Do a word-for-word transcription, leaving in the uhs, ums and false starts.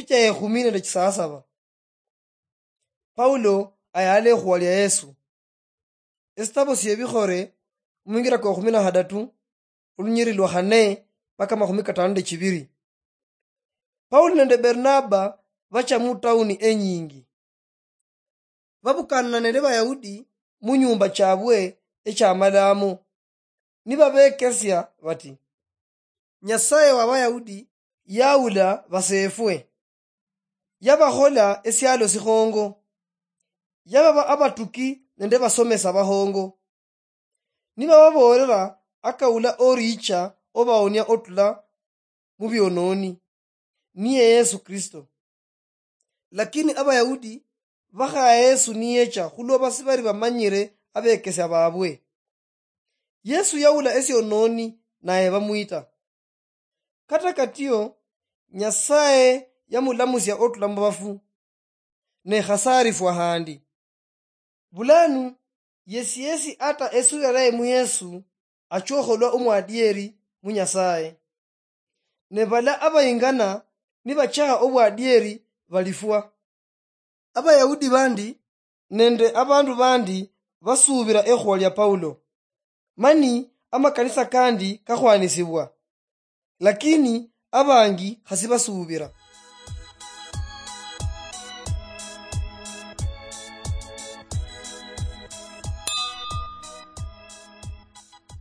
cha ekhumi nende chisaasaba. Paulo ayala ekhuwa lia Yesu. Esitabo siebikhole, omwingira kwa ekhumi na hadatu, olunyiri lwa khane mpaka amakhumi katano nende chibiri. Paulo nende Barnaba bacha mu tauni enyingi. Babukanana nende Bayahudi mu nyumba chabwe echamalamo, nibabekesia bati, "Nyasaye wa Bayahudi yaula baseefwe, yabakhola esialo sikhongo, yababa abatuki nende basomesa bahongo." Nibababoolera akaula oricha obaonia otula mu biononi, niye Yesu Kristo. Lakini Abayahudi bakhaya Yesu niyecha khulwoba sibali bamanyire abekesia babwe. Yesu yaula esiononi naye bamwita. Kata katio, Nyasaye yamulamusia otula mu bafu, ne khasarifwa handi. Bulanu, yesi yesi ata esubira yaye mu Yesu, achokholwa omwadieri mu Nyasaye. Ne bala abayingana nibachakha obwadieri balifwa. Abayahudi bandi nende abandu bandi basuubira ekhuwa lia Paulo, mani amakanisa kandi kakhwanisibwa, lakini abangi khasi basuubira.